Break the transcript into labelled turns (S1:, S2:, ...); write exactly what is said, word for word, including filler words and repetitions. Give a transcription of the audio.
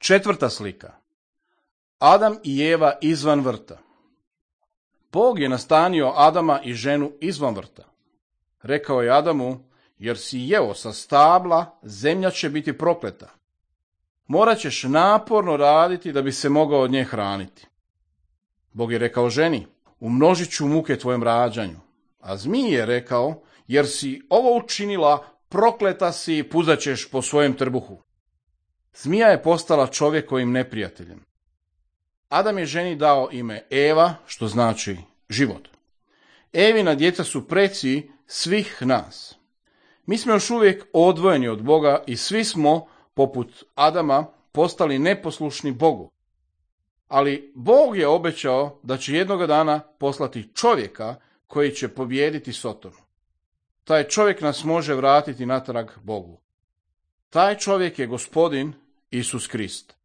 S1: Četvrta slika. Adam i Eva izvan vrta. Bog je nastanio Adama i ženu izvan vrta. Rekao je Adamu, jer si jeo sa stabla, zemlja će biti prokleta. Morat ćeš naporno raditi da bi se mogao od nje hraniti. Bog je rekao ženi, umnožit ću muke tvojem rađanju. A zmij je rekao, jer si ovo učinila, prokleta si i puzat ćeš po svojem trbuhu. Zmija je postala čovjekovim neprijateljem. Adam je ženi dao ime Eva, što znači život. Evina djeca su preci svih nas. Mi smo još uvijek odvojeni od Boga i svi smo, poput Adama, postali neposlušni Bogu. Ali Bog je obećao da će jednoga dana poslati čovjeka koji će pobijediti Sotonu. Taj čovjek nas može vratiti natrag Bogu. Taj čovjek je Gospodin Isus Krist.